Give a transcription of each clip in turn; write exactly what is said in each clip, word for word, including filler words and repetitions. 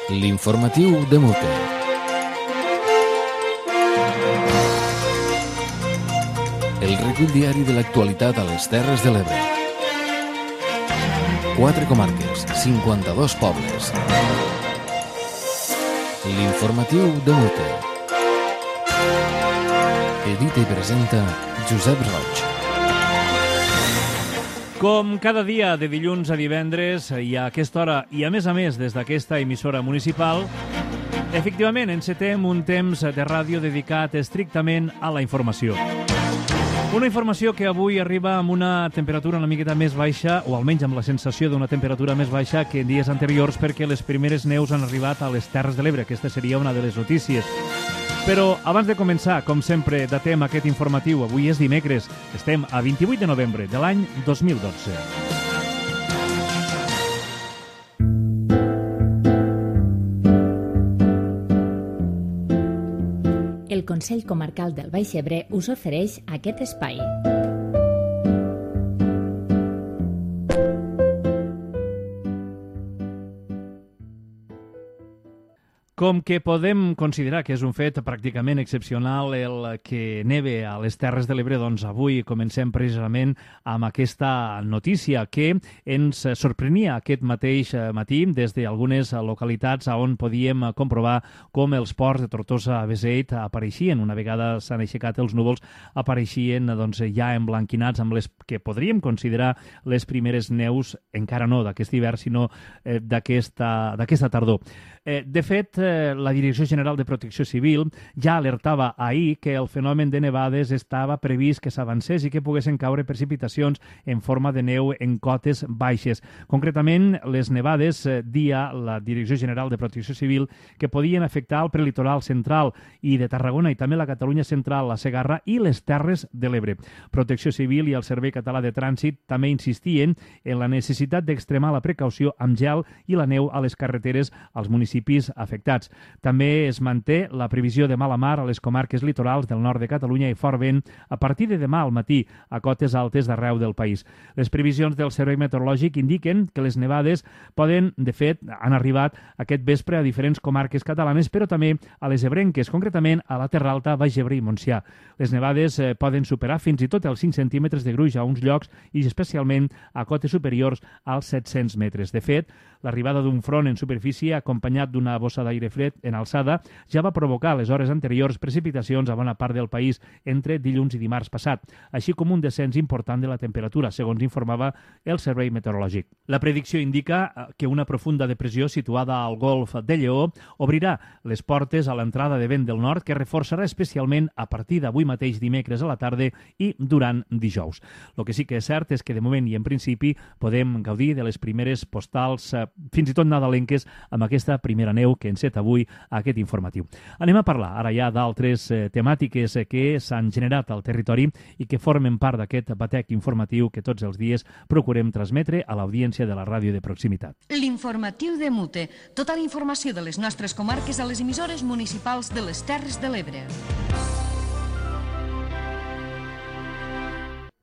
L'informatiu de Mute. El recull diari de l'actualitat a les Terres de l'Ebre. Quatre comarques, cinquanta-dos pobles. L'informatiu de Mute. Edita i presenta Josep Roig. Com cada dia, de dilluns a divendres, i a aquesta hora, i a més a més des d'aquesta emissora municipal, efectivament encetem un temps de ràdio dedicat estrictament a la informació. Una informació que avui arriba amb una temperatura una miqueta més baixa, o almenys amb la sensació d'una temperatura més baixa que en dies anteriors, perquè les primeres neus han arribat a les Terres de l'Ebre. Aquesta seria una de les notícies. Però abans de començar, com sempre, datem aquest informatiu. Avui és dimecres. Estem a vint-i-vuit de novembre de l'any dos mil dotze. El Consell Comarcal del Baix Ebre us ofereix aquest espai. Com que podem considerar que és un fet pràcticament excepcional el que neve a les Terres de l'Ebre, doncs avui comencem precisament amb aquesta notícia que ens sorprenia aquest mateix matí des d'algunes localitats on podíem comprovar com els ports de Tortosa a Beseit apareixien, una vegada s'han aixecat els núvols, apareixien doncs, ja emblanquinats amb les que podríem considerar les primeres neus, encara no d'aquest hivern, sinó eh, d'aquesta d'aquesta tardor. Eh, de fet, eh, la Direcció General de Protecció Civil ja alertava ahir que el fenomen de nevades estava previst que s'avancés i que poguessin caure precipitacions en forma de neu en cotes baixes. Concretament, les nevades, eh, dia la Direcció General de Protecció Civil, que podien afectar el prelitoral central i de Tarragona i també la Catalunya central, la Segarra i les Terres de l'Ebre. Protecció Civil i el Servei Català de Trànsit també insistien en la necessitat d'extremar la precaució amb gel i la neu a les carreteres als municipis afectats. També es manté la previsió de mala mar a les comarques litorals del nord de Catalunya i fort vent a partir de demà al matí a cotes altes d'arreu del país. Les previsions del Servei Meteorològic indiquen que les nevades poden, de fet, han arribat aquest vespre a diferents comarques catalanes, però també a les ebrenques, concretament a la Terra Alta, Baix Ebre i Montsià. Les nevades eh, poden superar fins i tot els cinc centímetres de gruix a uns llocs i especialment a cotes superiors als set-cents metres. De fet, l'arribada d'un front en superfície acompanyat d'una bossa d'aire fred en alçada ja va provocar a les hores anteriors precipitacions a bona part del país entre dilluns i dimarts passat, així com un descens important de la temperatura, segons informava el Servei Meteorològic. La predicció indica que una profunda depressió situada al golf de Lleó obrirà les portes a l'entrada de vent del nord que reforçarà especialment a partir d'avui mateix dimecres a la tarda i durant dijous. El que sí que és cert és que de moment i en principi podem gaudir de les primeres postals fins i tot nadalenques amb aquesta primera neu que enceta avui aquest informatiu. Anem a parlar ara ja d'altres eh, temàtiques eh, que s'han generat al territori i que formen part d'aquest batec informatiu que tots els dies procurem transmetre a l'audiència de la ràdio de proximitat. L'informatiu de Mute. Tota la informació de les nostres comarques a les emissores municipals de les Terres de l'Ebre.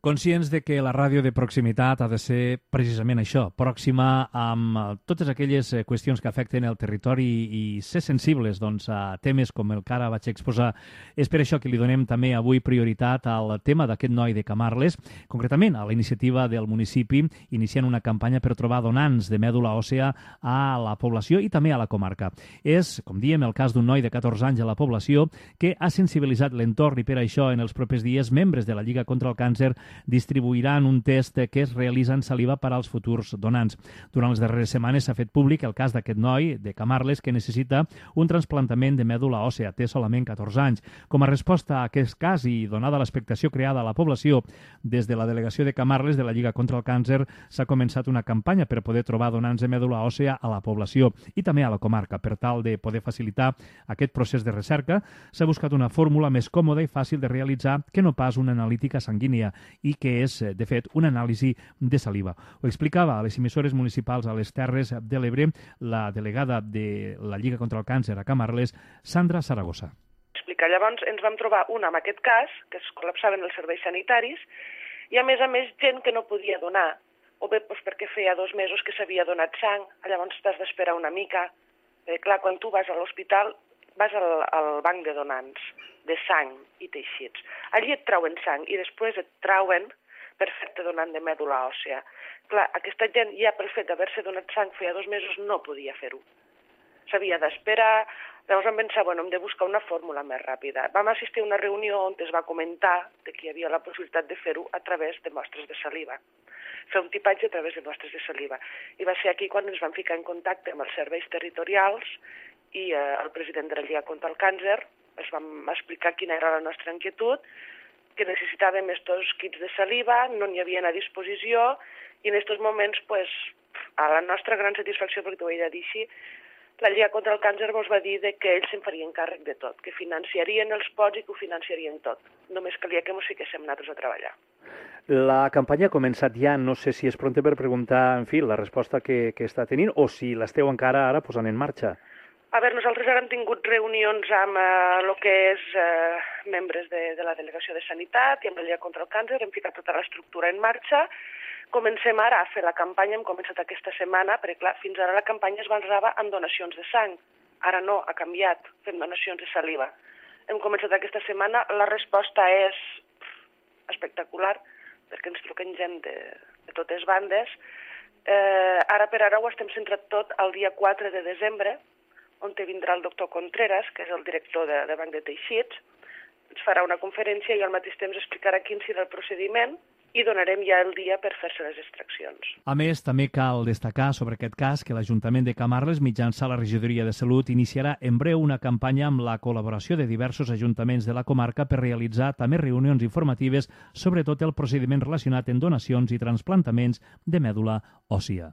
Conscients de que la ràdio de proximitat ha de ser precisament això, pròxima amb totes aquelles qüestions que afecten el territori i ser sensibles doncs, a temes com el que ara vaig exposar. És per això que li donem també avui prioritat al tema d'aquest noi de Camarles, concretament a la iniciativa del municipi, iniciant una campanya per trobar donants de mèdula òssea a la població i també a la comarca. És, com diem, el cas d'un noi de catorze anys a la població que ha sensibilitzat l'entorn i per això en els propers dies membres de la Lliga contra el Càncer distribuiran un test que es realitza en saliva per als futurs donants. Durant les darreres setmanes s'ha fet públic el cas d'aquest noi de Camarles que necessita un trasplantament de mèdula òssea. Té solament catorze anys. Com a resposta a aquest cas i donada l'expectació creada a la població, des de la delegació de Camarles de la Lliga contra el Càncer s'ha començat una campanya per poder trobar donants de mèdula òssea a la població i també a la comarca. Per tal de poder facilitar aquest procés de recerca, s'ha buscat una fórmula més còmoda i fàcil de realitzar que no pas una analítica sanguínia i que és, de fet, una anàlisi de saliva. Ho explicava a les emissores municipals a les Terres de l'Ebre la delegada de la Lliga contra el Càncer a Camarles, Sandra Saragossa. Explicar. Llavors ens vam trobar una amb aquest cas, que es col·lapsaven els serveis sanitaris, i a més a més gent que no podia donar, o bé doncs, perquè feia dos mesos que s'havia donat sang, llavors t'has d'esperar una mica, Eh, clar, quan tu vas a l'hospital, vas al, al banc de donants de sang i teixits. Allí et trauen sang i després et trauen per fer-te donant de mèdula òssea. Clar, aquesta gent ja pel fet d'haver-se donat sang feia dos mesos no podia fer-ho. S'havia d'esperar, llavors vam pensar, bueno, hem de buscar una fórmula més ràpida. Vam assistir a una reunió on es va comentar que hi havia la possibilitat de fer-ho a través de mostres de saliva. Fer un tipatge a través de mostres de saliva. I va ser aquí quan ens vam ficar en contacte amb els serveis territorials i eh, el president de la Lliga contra el Càncer es vam explicar quina era la nostra inquietud, que necessitàvem estos kits de saliva, no n'hi havien a disposició, i en aquests moments, pues, a la nostra gran satisfacció, perquè t'ho he de dir així, la Lliga contra el Càncer ens va dir que ells se'n farien càrrec de tot, que financiarien els pots i que ho financiarien tot. Només calia que ens fiquéssim nosaltres a treballar. La campanya ha començat ja, no sé si és pronte per preguntar, en fi, la resposta que, que està tenint o si l'esteu encara ara posant en marxa. A veure, nosaltres ara hem tingut reunions amb el eh, que és eh, membres de, de la Delegació de Sanitat i amb la Lliga contra el Càncer, hem ficat tota l'estructura en marxa. Comencem ara a fer la campanya, hem començat aquesta setmana, perquè clar, fins ara la campanya es basava en donacions de sang. Ara no, ha canviat, fem donacions de saliva. Hem començat aquesta setmana, la resposta és espectacular, perquè ens truquen gent de, de totes bandes. Eh, ara per ara ho estem centrat tot el dia quatre de desembre, on vindrà el doctor Contreras, que és el director de, de Banc de Teixits, ens farà una conferència i al mateix temps explicarà quin serà el procediment i donarem ja el dia per fer-se les extraccions. A més, també cal destacar sobre aquest cas que l'Ajuntament de Camarles, mitjançant la Regidoria de Salut, iniciarà en breu una campanya amb la col·laboració de diversos ajuntaments de la comarca per realitzar també reunions informatives sobre tot el procediment relacionat en donacions i transplantaments de mèdula òssia.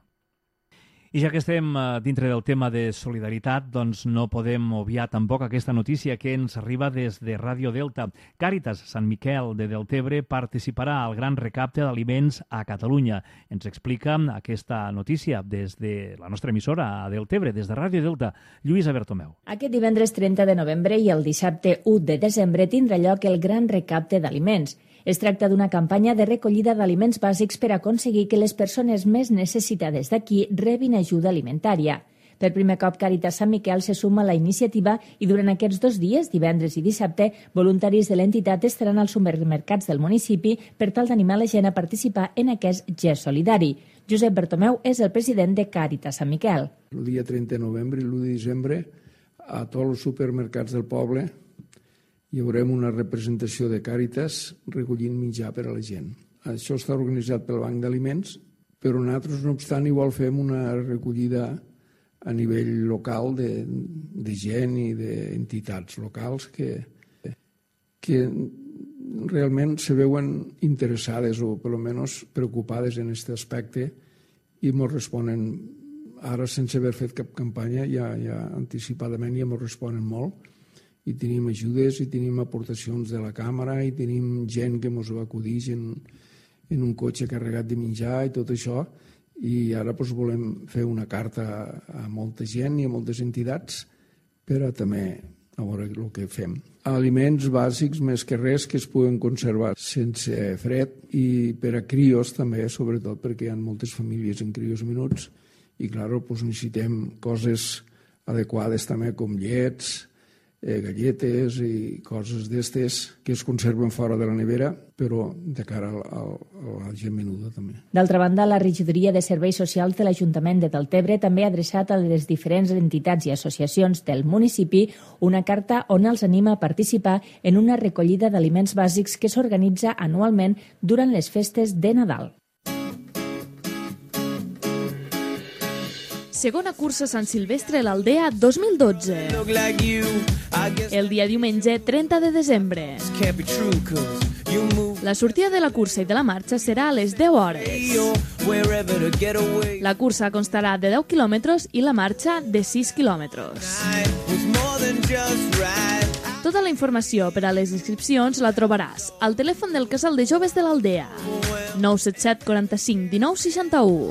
I ja que estem dintre del tema de solidaritat, doncs no podem obviar tampoc aquesta notícia que ens arriba des de Ràdio Delta. Càritas Sant Miquel de Deltebre participarà al gran recapte d'aliments a Catalunya. Ens explica aquesta notícia des de la nostra emissora a Deltebre, des de Ràdio Delta, Lluïsa Bertomeu. Aquest divendres trenta de novembre i el dissabte u de desembre tindrà lloc el gran recapte d'aliments. Es tracta d'una campanya de recollida d'aliments bàsics per aconseguir que les persones més necessitades d'aquí rebin ajuda alimentària. Per primer cop, Càritas Sant Miquel se suma a la iniciativa i durant aquests dos dies, divendres i dissabte, voluntaris de l'entitat estaran als supermercats del municipi per tal d'animar la gent a participar en aquest gest solidari. Josep Bertomeu és el president de Càritas Sant Miquel. El dia trenta de novembre i l'u de desembre, a tots els supermercats del poble, hi haurem una representació de Càritas recollint menjar per a la gent. Això està organitzat pel Banc d'Aliments, però nosaltres, no obstant, igual fem una recollida a nivell local de, de gent i d'entitats locals que, que realment se veuen interessades o per almenys preocupades en aquest aspecte i ens responen, ara sense haver fet cap campanya, ja, ja anticipadament ja ens responen molt. I tenim ajudes i tenim aportacions de la càmera i tenim gent que ens va acudir en, en un cotxe carregat de menjar i tot això, i ara doncs, volem fer una carta a molta gent i a moltes entitats per a també a veure el que fem. Aliments bàsics més que res que es puguen conservar sense fred i per a crios també, sobretot perquè hi ha moltes famílies en crios menuts i clar, doncs, necessitem coses adequades també com llets, Eh, galletes i coses d'estes que es conserven fora de la nevera, però de cara a, a, a la gent menuda també. D'altra banda, la Regidoria de Serveis Socials de l'Ajuntament de Deltebre també ha adreçat a les diferents entitats i associacions del municipi una carta on els anima a participar en una recollida d'aliments bàsics que s'organitza anualment durant les festes de Nadal. Segona cursa Sant Silvestre a l'Aldea dos mil dotze. El dia diumenge trenta de desembre. La sortida de la cursa i de la marxa serà a les deu hores. La cursa constarà de deu quilòmetres i la marxa de sis quilòmetres. Tota la informació per a les inscripcions la trobaràs al telèfon del Casal de Joves de l'Aldea, nou set set quaranta-cinc dinou seixanta-u,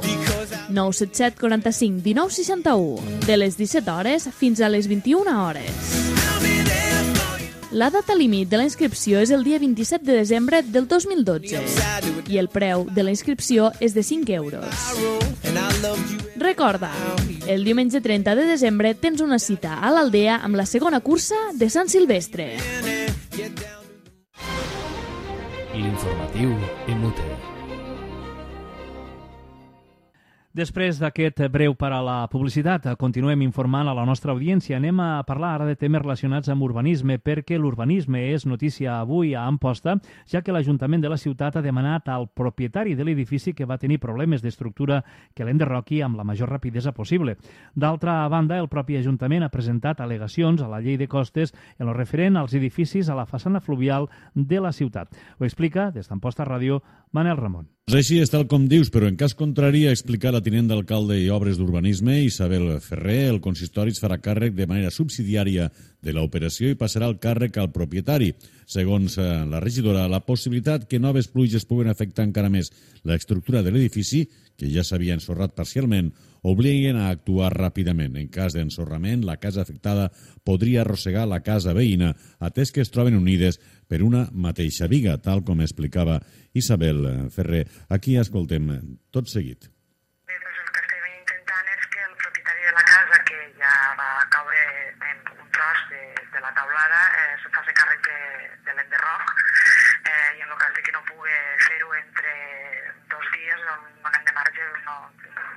nou set set quaranta-cinc dinou seixanta-u, de les disset hores fins a les vint-i-una hores. La data límit de la inscripció és el dia vint-i-set de desembre del dos mil dotze i el preu de la inscripció és de cinc euros. Recorda, El diumenge trenta de desembre tens una cita a l'Aldea amb la segona cursa de Sant Silvestre. L'informatiu Inútil. Després d'aquest breu per a la publicitat, continuem informant a la nostra audiència. Anem a parlar ara de temes relacionats amb urbanisme, perquè l'urbanisme és notícia avui a Amposta, ja que l'Ajuntament de la ciutat ha demanat al propietari de l'edifici que va tenir problemes d'estructura que l'enderroqui amb la major rapidesa possible. D'altra banda, el propi Ajuntament ha presentat al·legacions a la llei de costes en lo referent als edificis a la façana fluvial de la ciutat. Ho explica, des d'Amposta Ràdio, Manel Ramon. Doncs així és tal com dius, però en cas contrari a explicar la tinent d'alcalde i obres d'urbanisme, Isabel Ferrer, el consistori es farà càrrec de manera subsidiària de l'operació i passarà el càrrec al propietari. Segons la regidora, la possibilitat que noves pluges puguen afectar encara més l'estructura de l'edifici, que ja s'havia ensorrat parcialment, obliguen a actuar ràpidament. En cas d'ensorrament, la casa afectada podria arrossegar la casa veïna, atès que es troben unides per una mateixa viga, tal com explicava Isabel Ferrer. Aquí escoltem tot seguit. Bé, doncs el que estem intentant és que el propietari de la casa, que ja va caure en un tros de, de la taulada, eh, se faci càrrec de, de l'enderroc, eh, i en el cas de que no pugui fer-ho entre dos dies, un any de marge, no,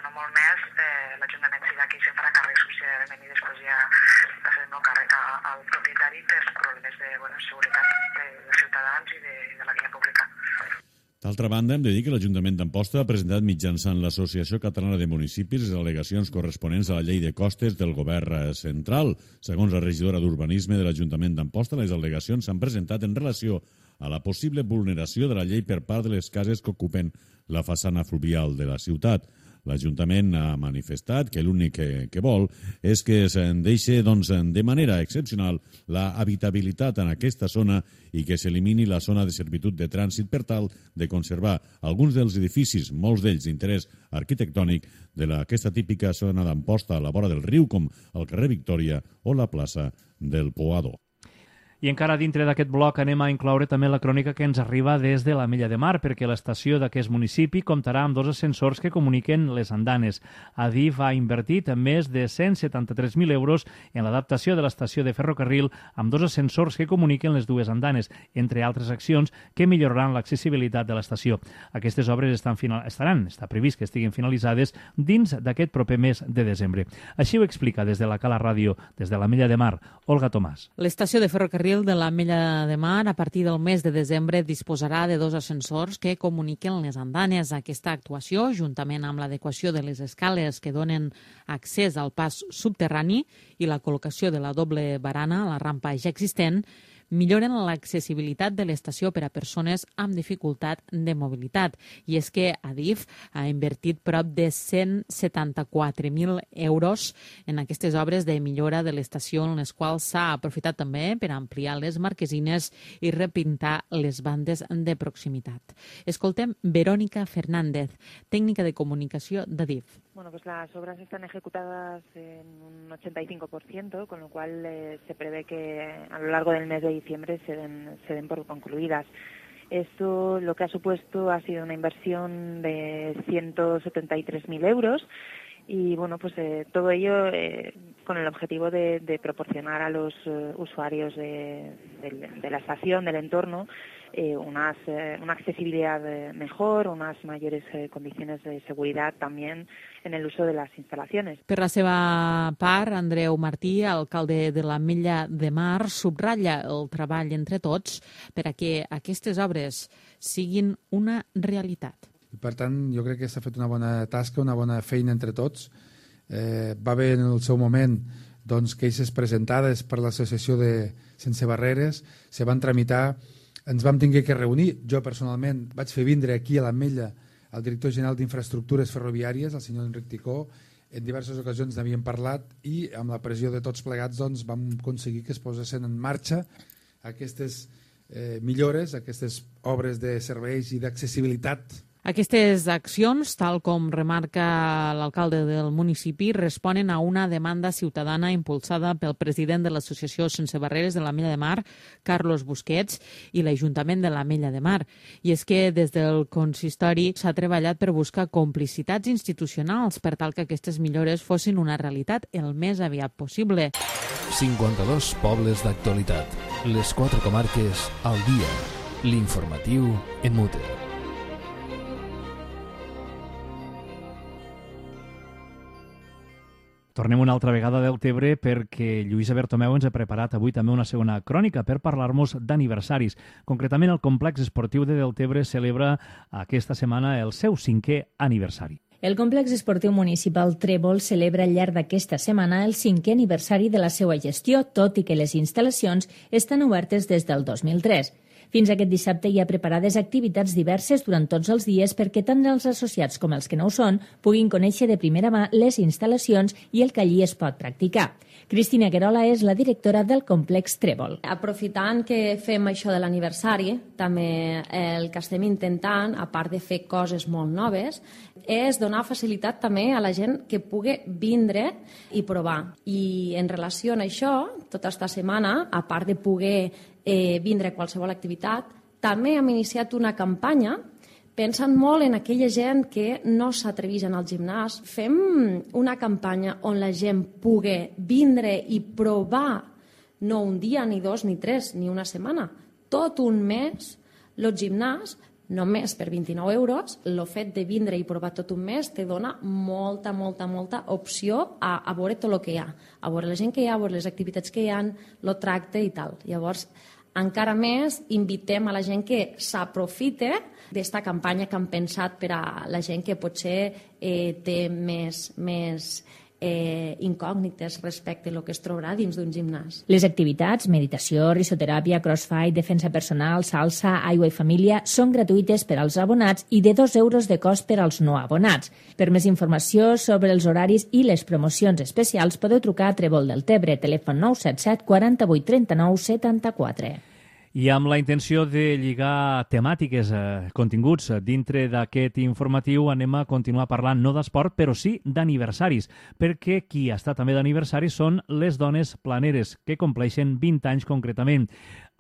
no molt més, eh, l'Ajuntament serà qui se'n farà càrrec subsidiàriament i després ja farem el càrrec a, al propietari per problemes de bueno, seguretat de, de ciutadans i de, de la via pública. D'altra banda, hem de dir que l'Ajuntament d'Amposta ha presentat mitjançant l'Associació Catalana de Municipis les al·legacions corresponents a la llei de costes del govern central. Segons la regidora d'Urbanisme de l'Ajuntament d'Amposta, les al·legacions s'han presentat en relació a la possible vulneració de la llei per part de les cases que ocupen la façana fluvial de la ciutat. L'Ajuntament ha manifestat que l'únic que, que vol és que se'n deixi doncs, de manera excepcional la habitabilitat en aquesta zona i que s'elimini la zona de servitud de trànsit per tal de conservar alguns dels edificis, molts d'ells d'interès arquitectònic, d'aquesta típica zona d'Amposta a la vora del riu, com el carrer Victòria o la plaça del Poador. I encara dintre d'aquest bloc anem a incloure també la crònica que ens arriba des de l'Ametlla de Mar, perquè l'estació d'aquest municipi comptarà amb dos ascensors que comuniquen les andanes. Adif ha invertit més de cent setanta-tres mil euros en l'adaptació de l'estació de ferrocarril amb dos ascensors que comuniquen les dues andanes, entre altres accions que milloraran l'accessibilitat de l'estació. Aquestes obres estan final... estaran, està previst que estiguin finalitzades dins d'aquest proper mes de desembre. Així ho explica des de la Cala Ràdio, des de l'Ametlla de Mar, Olga Tomàs. L'estació de ferrocarril de l'Ametlla de Mar, a partir del mes de desembre, disposarà de dos ascensors que comuniquen les andanes. Aquesta actuació, juntament amb l'adequació de les escales que donen accés al pas subterrani i la col·locació de la doble barana a la rampa ja existent, milloren l'accessibilitat de l'estació per a persones amb dificultat de mobilitat. I és que Adif ha invertit prop de cent setanta-quatre mil euros en aquestes obres de millora de l'estació, en les quals s'ha aprofitat també per ampliar les marquesines i repintar les bandes de proximitat. Escoltem Verónica Fernández, tècnica de comunicació d'Adif. Bueno, pues las obras están ejecutadas en un ochenta y cinco por ciento, con lo cual eh, se prevé que a lo largo del mes de diciembre se den, se den por concluidas. Esto lo que ha supuesto ha sido una inversión de ciento setenta y tres mil euros y bueno, pues eh, todo ello eh, con el objetivo de, de proporcionar a los uh, usuarios de, de, de la estación, del entorno, eh, unas, eh, una accesibilidad eh, mejor, unas mayores eh, condiciones de seguridad también en el uso de las instalaciones. Per la seva part, Andreu Martí, alcalde de l'Ametlla de Mar, subratlla el treball entre tots per a que aquestes obres siguin una realitat. Per tant, jo crec que s'ha fet una bona tasca, una bona feina entre tots. Eh, va haver en el seu moment doncs, queixes presentades per l'associació de Sense Barreres, se van tramitar, ens vam tenir que reunir. Jo personalment vaig fer vindre aquí a l'Ametlla el director general d'Infraestructures Ferroviàries, el senyor Enric Ticó. En diverses ocasions n'havíem parlat i amb la pressió de tots plegats doncs, vam aconseguir que es posessin en marxa aquestes eh, millores, aquestes obres de serveis i d'accessibilitat Aquestes accions, tal com remarca l'alcalde del municipi, responen a una demanda ciutadana impulsada pel president de l'Associació Sense Barreres de l'Ametlla de Mar, Carlos Busquets, i l'Ajuntament de l'Ametlla de Mar. I és que des del consistori s'ha treballat per buscar complicitats institucionals per tal que aquestes millores fossin una realitat el més aviat possible. cinquanta-dos pobles d'actualitat. Les quatre comarques al dia. L'informatiu en Mute. Tornem una altra vegada del Tebre perquè Lluïsa Bertomeu ens ha preparat avui també una segona crònica per parlar-nos d'aniversaris. Concretament, el complex esportiu de Deltebre celebra aquesta setmana el seu cinquè aniversari. El complex esportiu municipal Trèvol celebra al llarg d'aquesta setmana el cinquè aniversari de la seva gestió, tot i que les instal·lacions estan obertes des del dos mil tres. Fins aquest dissabte hi ha preparades activitats diverses durant tots els dies perquè tant els associats com els que no ho són puguin conèixer de primera mà les instal·lacions i el que allí es pot practicar. Cristina Guerola és la directora del complex Trèvol. Aprofitant que fem això de l'aniversari, també el que estem intentant, a part de fer coses molt noves, és donar facilitat també a la gent que pugui vindre i provar. I en relació a això, tota esta setmana, a part de poder eh, vindre a qualsevol activitat, també hem iniciat una campanya pensant molt en aquella gent que no s'atreveix al gimnàs. Fem una campanya on la gent pugui vindre i provar no un dia, ni dos, ni tres, ni una setmana, tot un mes, el gimnàs, només per vint-i-nou euros. El fet de vindre i provar tot un mes te dona molta, molta, molta opció a, a veure tot el que hi ha, a veure la gent que hi ha, a veure les activitats que hi ha, el tracte i tal. Llavors, encara més, invitem a la gent que s'aprofite d'esta campanya que han pensat per a la gent que potser eh, té més, més eh, incògnites respecte a el que es trobarà dins d'un gimnàs. Les activitats, meditació, risoteràpia, crossfit, defensa personal, salsa, aigua i família, són gratuïtes per als abonats i de dos euros de cost per als no abonats. Per més informació sobre els horaris i les promocions especials podeu trucar a Trèvol del Tebre, telèfon nou set set quaranta-vuit trenta-nou setanta-quatre. I amb la intenció de lligar temàtiques, eh, continguts dintre d'aquest informatiu, anem a continuar parlant no d'esport, però sí d'aniversaris, perquè qui està també d'aniversari són les dones planeres, que compleixen vint anys concretament.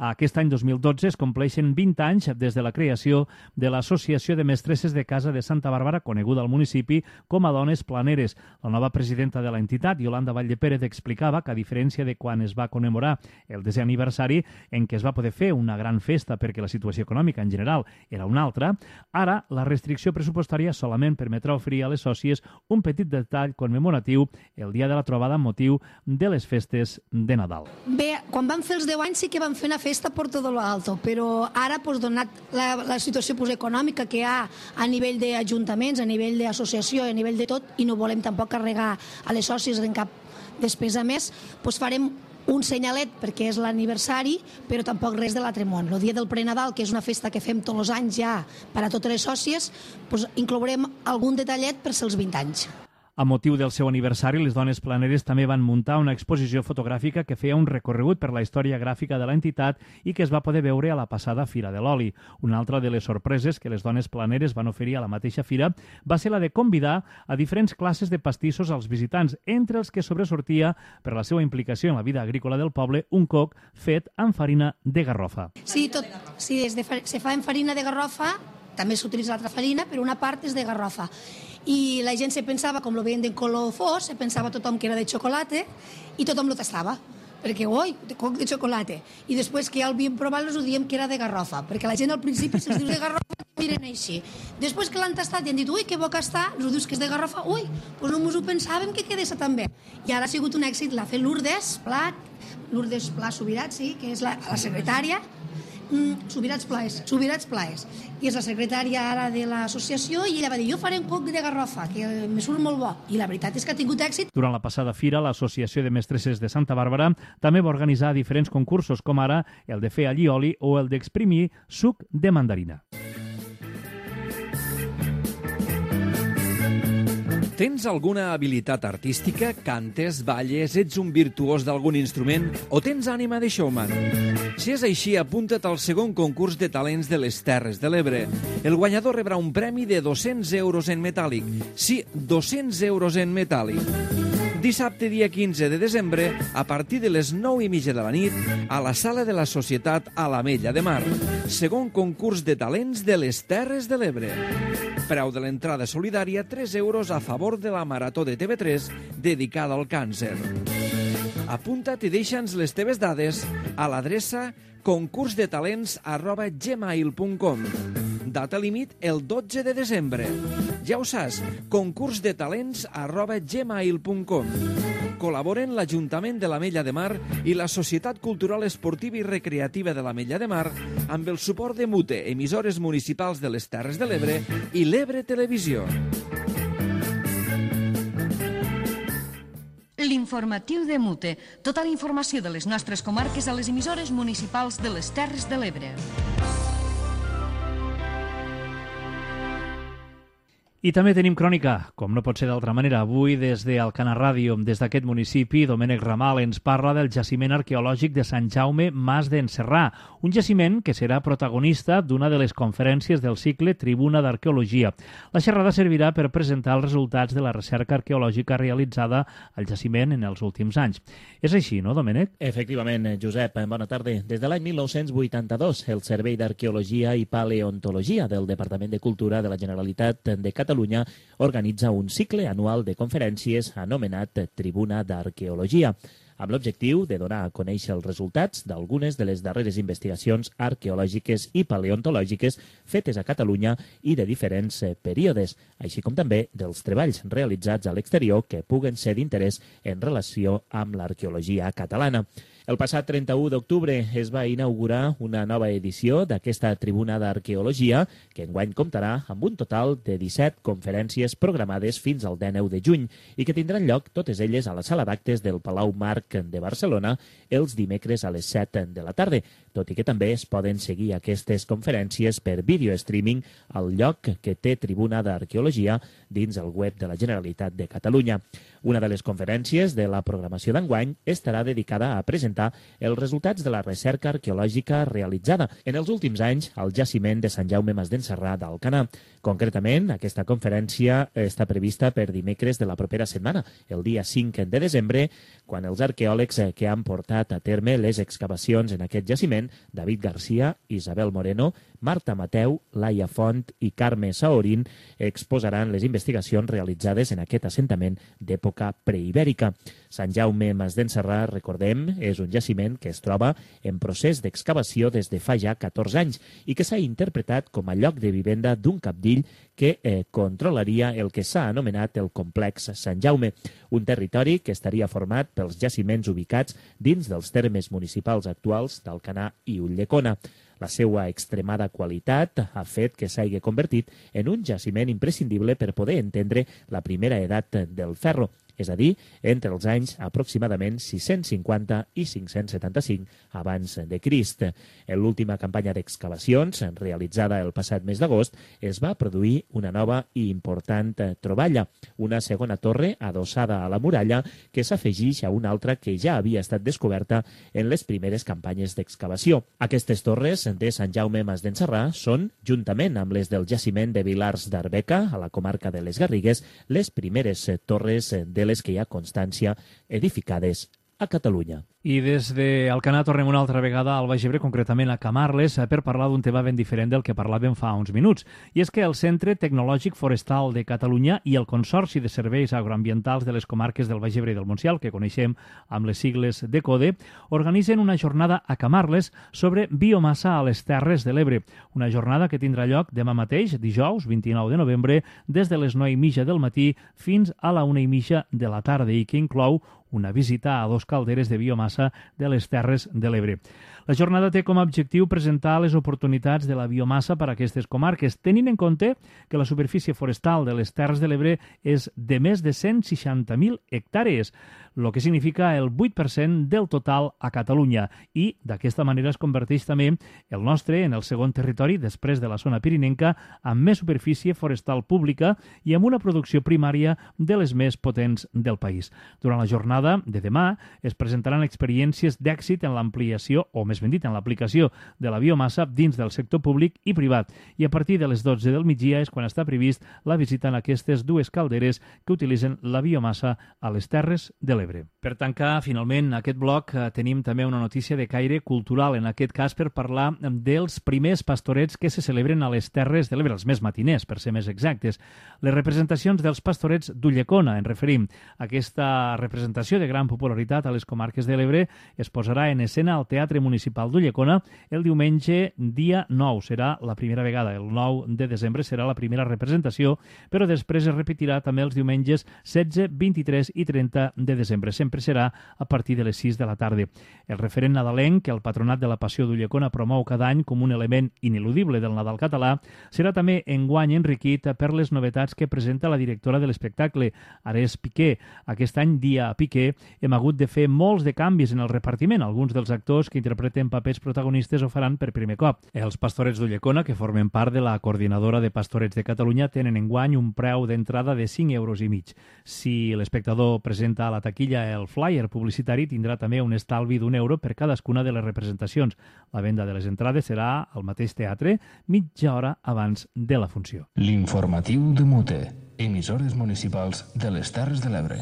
Aquest any dos mil dotze es compleixen vint anys des de la creació de l'Associació de Mestresses de Casa de Santa Bàrbara, coneguda al municipi com a Dones Planeres. La nova presidenta de l'entitat, Yolanda Vallepérez, explicava que, a diferència de quan es va commemorar el desè aniversari, en què es va poder fer una gran festa perquè la situació econòmica en general era una altra, ara la restricció pressupostària solament permetrà oferir a les sòcies un petit detall commemoratiu el dia de la trobada amb motiu de les festes de Nadal. Bé, quan vam fer els deu anys sí que vam fer una festa por todo lo alto, però ara, pues, donat la, la situació pues, econòmica que hi ha a nivell d'ajuntaments, a nivell d'associació, a nivell de tot, i no volem tampoc carregar a les sòcies en cap despesa més, pues, farem un senyalet perquè és l'aniversari, però tampoc res de l'altre món. El dia del prenadal, que és una festa que fem tots els anys ja per a totes les sòcies, pues, inclourem algun detallet per ser els vint anys. A motiu del seu aniversari, les Dones Planeres també van muntar una exposició fotogràfica que feia un recorregut per la història gràfica de l'entitat i que es va poder veure a la passada Fira de l'Oli. Una altra de les sorpreses que les Dones Planeres van oferir a la mateixa fira va ser la de convidar a diferents classes de pastissos als visitants, entre els que sobresortia, per la seva implicació en la vida agrícola del poble, un coc fet amb farina de garrofa. Sí, tot, sí es de, se fa en farina de garrofa, també s'utilitza l'altra farina, però una part és de garrofa. I la gent se pensava, com lo veien de color fos, se pensava tothom que era de xocolata i tothom lo tastava, perquè, oi, de coc de xocolata. I després que ja el havíem provat, els ho diem que era de garrofa, perquè la gent al principi se'ls dius de garrofa miren així. Després que l'han tastat i han dit, ui, que bo que està, els dius que és de garrofa, ui, doncs no mos ho pensàvem que quedés tan bé. I ara ha sigut un èxit, l'ha fet Lourdes Pla, Lourdes Pla Subirat, sí, que és la, la secretària, Mm, Subirats Plaes, Subirats Plaes, i és la secretària ara de l'associació, i ella va dir, jo faré un coc de garrofa, que me surt molt bo, i la veritat és que ha tingut èxit. Durant la passada fira, l'Associació de Mestresses de Santa Bàrbara també va organitzar diferents concursos, com ara el de fer allioli o el d'exprimir suc de mandarina. Tens alguna habilitat artística? Cantes, balles, ets un virtuós d'algun instrument o tens ànima de showman? Si és així, apunta't al segon concurs de talents de les Terres de l'Ebre. El guanyador rebrà un premi de dos-cents euros en metàl·lic. Sí, dos-cents euros en metàl·lic. Dissabte, dia quinze de desembre, a partir de les nou i mitja de la nit, a la Sala de la Societat a l'Ametlla de Mar. Segon concurs de talents de les Terres de l'Ebre. Preu de l'entrada solidària, tres euros a favor de la Marató de T V tres dedicada al càncer. Apunta't i deixa'ns les teves dades a l'adreça concursdetalents arroba gmail punt com. Data límit el dotze de desembre. Ja ho saps, concursdetalents arroba gmail punt com. Col·laboren l'Ajuntament de l'Ametlla de Mar i la Societat Cultural Esportiva i Recreativa de l'Ametlla de Mar amb el suport de Mute, emissores municipals de les Terres de l'Ebre i l'Ebre Televisió. L'informatiu de Mute. Tota la informació de les nostres comarques a les emissores municipals de les Terres de l'Ebre. I també tenim crònica, com no pot ser d'altra manera. Avui, des d'Alcanar Ràdio, des d'aquest municipi, Domènec Ramal ens parla del jaciment arqueològic de Sant Jaume Mas d'en Serrà, un jaciment que serà protagonista d'una de les conferències del cicle Tribuna d'Arqueologia. La xerrada servirà per presentar els resultats de la recerca arqueològica realitzada al jaciment en els últims anys. És així, no, Domènec? Efectivament, Josep, bona tarda. Des de l'any mil nou-cents vuitanta-dos, el Servei d'Arqueologia i Paleontologia del Departament de Cultura de la Generalitat de Catalunya Catalunya organitza un cicle anual de conferències anomenat Tribuna d'Arqueologia, amb l'objectiu de donar a conèixer els resultats d'algunes de les darreres investigacions arqueològiques i paleontològiques fetes a Catalunya i de diferents períodes, així com també dels treballs realitzats a l'exterior que puguen ser d'interès en relació amb l'arqueologia catalana. El passat trenta-u d'octubre es va inaugurar una nova edició d'aquesta Tribuna d'Arqueologia, que enguany comptarà amb un total de disset conferències programades fins al dinou de juny i que tindran lloc totes elles a la sala d'actes del Palau Marc de Barcelona els dimecres a les set de la tarda, tot i que també es poden seguir aquestes conferències per vídeo streaming al lloc que té Tribuna d'Arqueologia dins el web de la Generalitat de Catalunya. Una de les conferències de la programació d'enguany estarà dedicada a presentar els resultats de la recerca arqueològica realitzada en els últims anys al jaciment de Sant Jaume Mas d'en Serrà d'Alcanar. Concretament, aquesta conferència està prevista per dimecres de la propera setmana, el dia cinc de desembre, quan els arqueòlegs que han portat a terme les excavacions en aquest jaciment, David Garcia, Isabel Moreno, Marta Mateu, Laia Font i Carme Saorín, exposaran les investigacions realitzades en aquest assentament d'època preibèrica. Sant Jaume Mas d'en Serrà, recordem, és un jaciment que es troba en procés d'excavació des de fa ja catorze anys i que s'ha interpretat com a lloc de vivenda d'un capdill que eh, controlaria el que s'ha anomenat el complex Sant Jaume, un territori que estaria format pels jaciments ubicats dins dels termes municipals actuals d'Alcanar i Ulldecona. La seva extremada qualitat ha fet que s'hagi convertit en un jaciment imprescindible per poder entendre la primera edat del ferro, és a dir, entre els anys aproximadament sis-cents cinquanta i cinc-cents setanta-cinc abans de Crist. En l'última campanya d'excavacions, realitzada el passat mes d'agost, es va produir una nova i important troballa, una segona torre adossada a la muralla que s'afegeix a una altra que ja havia estat descoberta en les primeres campanyes d'excavació. Aquestes torres de Sant Jaume Mas d'en Serrà són, juntament amb les del jaciment de Vilars d'Arbeca, a la comarca de les Garrigues, les primeres torres de les que hi ha constància edificades a Catalunya. I des d'Alcanar tornem una altra vegada al Baix Ebre, concretament a Camarles, per parlar d'un tema ben diferent del que parlàvem fa uns minuts. I és que el Centre Tecnològic Forestal de Catalunya i el Consorci de Serveis Agroambientals de les comarques del Baix Ebre i del Montsià, que coneixem amb les sigles de CODE, organitzen una jornada a Camarles sobre biomassa a les Terres de l'Ebre. Una jornada que tindrà lloc demà mateix, dijous, vint-i-nou de novembre, des de les nou i mitja del matí fins a la una i mitja de la tarda i que inclou una visita a dos calderes de biomassa de les Terres de l'Ebre. La jornada té com a objectiu presentar les oportunitats de la biomassa per a aquestes comarques, tenint en compte que la superfície forestal de les Terres de l'Ebre és de més de cent seixanta mil hectàrees, el que significa el vuit per cent del total a Catalunya, i d'aquesta manera es converteix també el nostre en el segon territori, després de la zona pirinenca, amb més superfície forestal pública i amb una producció primària de les més potents del país. Durant la jornada de demà es presentaran experiències d'èxit en l'ampliació, o més ben dit, en l'aplicació de la biomassa dins del sector públic i privat, i a partir de les dotze del migdia és quan està previst la visita en aquestes dues calderes que utilitzen la biomassa a les Terres de l'Ebre. Per tancar, finalment, aquest bloc eh, tenim també una notícia de caire cultural, en aquest cas per parlar dels primers pastorets que se celebren a les Terres de l'Ebre, els més matiners, per ser més exactes. Les representacions dels pastorets d'Ulldecona, en referim. Aquesta representació de gran popularitat a les comarques de l'Ebre es posarà en escena al Teatre Municipal d'Ulldecona el diumenge dia nou. Serà la primera vegada, el nou de desembre serà la primera representació, però després es repetirà també els diumenges setze, vint-i-tres i trenta de desembre. Sempre serà a partir de les sis de la tarda. El referent nadalenc, que el Patronat de la Passió d'Ulldecona promou cada any com un element ineludible del Nadal català, serà també enguany enriquit per les novetats que presenta la directora de l'espectacle, Ares Piqué. Aquest any, dia a Piqué, hem hagut de fer molts de canvis en el repartiment. Alguns dels actors que interpreten papers protagonistes ho faran per primer cop. Els pastorets d'Ulldecona, que formen part de la Coordinadora de Pastorets de Catalunya, tenen enguany un preu d'entrada de cinc euros i mig. Si l'espectador presenta a la taquilla el flyer publicitari, tindrà també un estalvi d'un euro per cadascuna de les representacions. La venda de les entrades serà al mateix teatre mitja hora abans de la funció. L'informatiu de Mute, emissores municipals de les Terres de l'Ebre.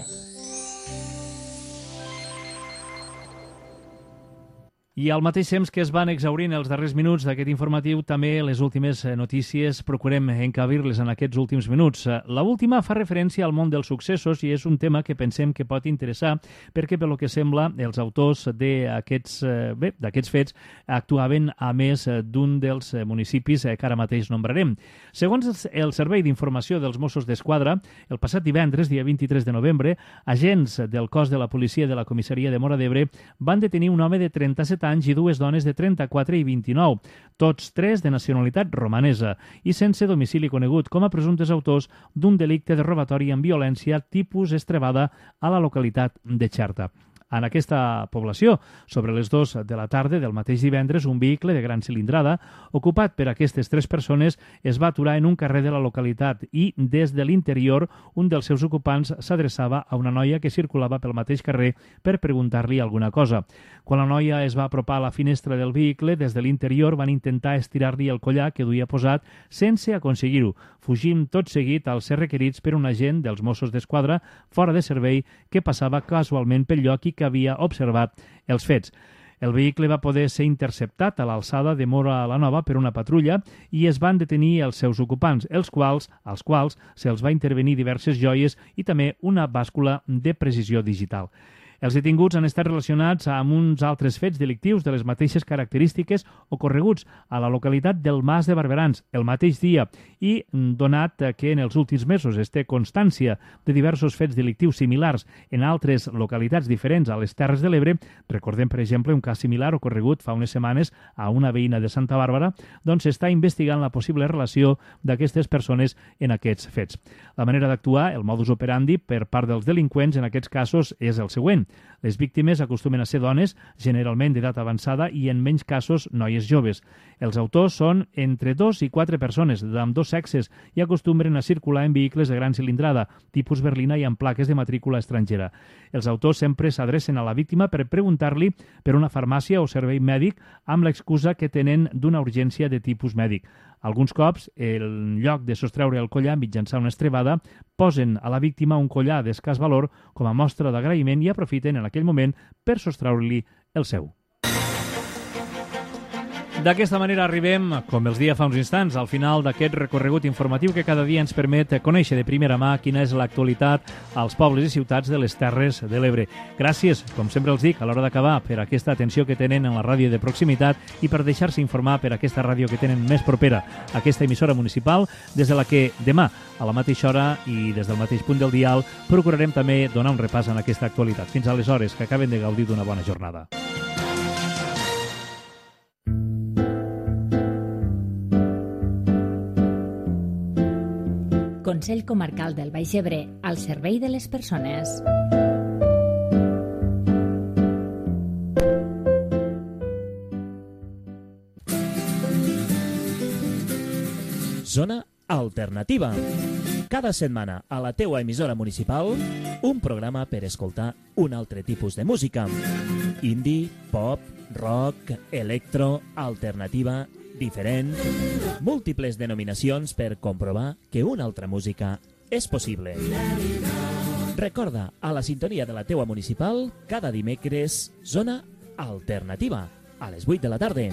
I al mateix temps que es van exhaurint els darrers minuts d'aquest informatiu, també les últimes notícies procurem encabir-les en aquests últims minuts. La última fa referència al món dels successos i és un tema que pensem que pot interessar perquè, pel que sembla, els autors d'aquests bé, d'aquests fets actuaven a més d'un dels municipis que ara mateix nombrarem. Segons el Servei d'Informació dels Mossos d'Esquadra, el passat divendres, dia vint-i-tres de novembre, agents del cos de la policia de la comissaria de Móra d'Ebre van detenir un home de trenta-set anys i dues dones de trenta-quatre i vint-i-nou, tots tres de nacionalitat romanesa i sense domicili conegut, com a presumptes autors d'un delicte de robatori amb violència tipus estrebada a la localitat de Xerta. En aquesta població, sobre les dues de la tarda del mateix divendres, un vehicle de gran cilindrada, ocupat per aquestes tres persones, es va aturar en un carrer de la localitat i, des de l'interior, un dels seus ocupants s'adreçava a una noia que circulava pel mateix carrer per preguntar-li alguna cosa. Quan la noia es va apropar a la finestra del vehicle, des de l'interior van intentar estirar-li el collar que duia posat sense aconseguir-ho, fugint tot seguit als ser requerits per un agent dels Mossos d'Esquadra fora de servei que passava casualment pel lloc i que havia observat els fets. El vehicle va poder ser interceptat a l'alçada de Móra la Nova per una patrulla i es van detenir els seus ocupants, els quals, als quals se'ls va intervenir diverses joies i també una bàscula de precisió digital. Els detinguts han estat relacionats amb uns altres fets delictius de les mateixes característiques ocorreguts a la localitat del Mas de Barberans el mateix dia i, donat que en els últims mesos es té constància de diversos fets delictius similars en altres localitats diferents a les Terres de l'Ebre, recordem, per exemple, un cas similar ocorregut fa unes setmanes a una veïna de Santa Bàrbara, doncs s'està investigant la possible relació d'aquestes persones en aquests fets. La manera d'actuar, el modus operandi per part dels delinqüents en aquests casos és el següent. Les víctimes acostumen a ser dones, generalment d'edat avançada i en menys casos noies joves. Els autors són entre dos i quatre persones d'ambdós sexes i acostumen a circular en vehicles de gran cilindrada, tipus berlina i amb plaques de matrícula estrangera. Els autors sempre s'adrecen a la víctima per preguntar-li per una farmàcia o servei mèdic amb l'excusa que tenen d'una urgència de tipus mèdic. Alguns cops, en lloc de sostreure el collar mitjançant una estrebada, posen a la víctima un collar d'escàs valor com a mostra d'agraïment i aprofiten en aquell moment per sostreure-li el seu. D'aquesta manera arribem, com els dia fa uns instants, al final d'aquest recorregut informatiu que cada dia ens permet conèixer de primera mà quina és l'actualitat als pobles i ciutats de les Terres de l'Ebre. Gràcies, com sempre els dic, a l'hora d'acabar, per aquesta atenció que tenen en la ràdio de proximitat i per deixar-se informar per aquesta ràdio que tenen més propera, aquesta emissora municipal, des de la que demà, a la mateixa hora i des del mateix punt del dial, procurarem també donar un repàs en aquesta actualitat. Fins aleshores, que acaben de gaudir d'una bona jornada. Consell Comarcal del Baix Ebre, al servei de les persones. Zona Alternativa. Cada setmana a la teua emissora municipal, un programa per escoltar un altre tipus de música. Indie, pop, rock, electro, alternativa, diferent, múltiples denominacions per comprovar que una altra música és possible. Recorda, a la sintonia de la teua municipal, cada dimecres, Zona Alternativa, a les vuit de la tarda.